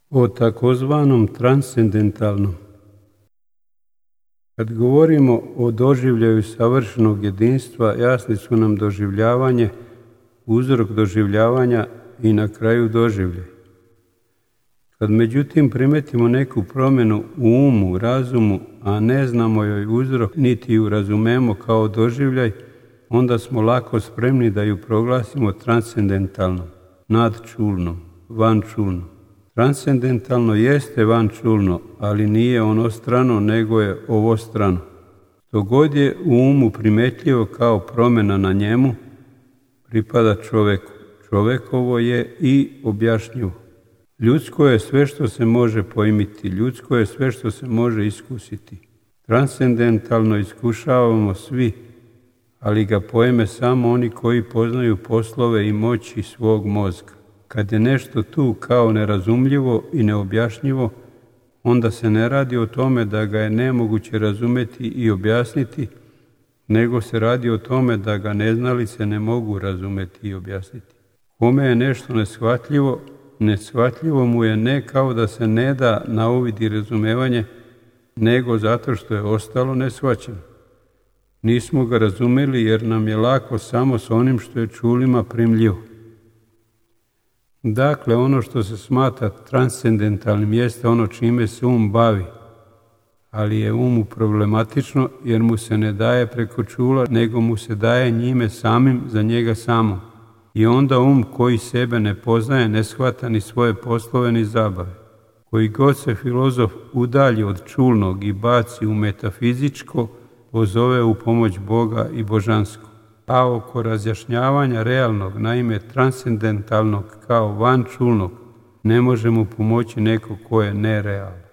o takozvanom transcendentalnom. Kad govorimo o doživljaju savršenog jedinstva, jasni su nam doživljavanje, uzrok doživljavanja i na kraju doživljaj. Kad međutim primetimo neku promjenu u umu, razumu, a ne znamo joj uzrok, niti ju razumemo kao doživljaj, onda smo lako spremni da ju proglasimo transcendentalnom, nadčulnom, vančulnom. Transcendentalno jeste vančulno, ali nije ono strano, nego je ovo strano. To god je u umu primetljivo kao promjena na njemu, pripada čoveku. Čovekovo je i objašnjivo. Ljudsko je sve što se može pojmiti, ljudsko je sve što se može iskusiti. Transcendentalno iskušavamo svi, ali ga pojme samo oni koji poznaju poslove i moći svog mozga. Kad je nešto tu kao nerazumljivo i neobjašnjivo, onda se ne radi o tome da ga je nemoguće razumjeti i objasniti, nego se radi o tome da ga neznalice ne mogu razumjeti i objasniti. Kome je nešto neshvatljivo, neshvatljivo mu je ne kao da se ne da na uvid i razumevanje, nego zato što je ostalo neshvaćeno. Nismo ga razumjeli jer nam je lako samo s onim što je čulima primljivo. Dakle, ono što se smatra transcendentalnim jeste ono čime se bavi, ali je umu problematično jer mu se ne daje preko čula, nego mu se daje njime samim za njega samom. I onda koji sebe ne poznaje, ne shvata ni svoje poslove ni zabave. Koji god se filozof udalji od čulnog i baci u metafizičko, pozove u pomoć Boga i božansko. A oko razjašnjavanja realnog, naime transcendentalnog kao vančulnog, ne može mu pomoći neko ko je nerealan.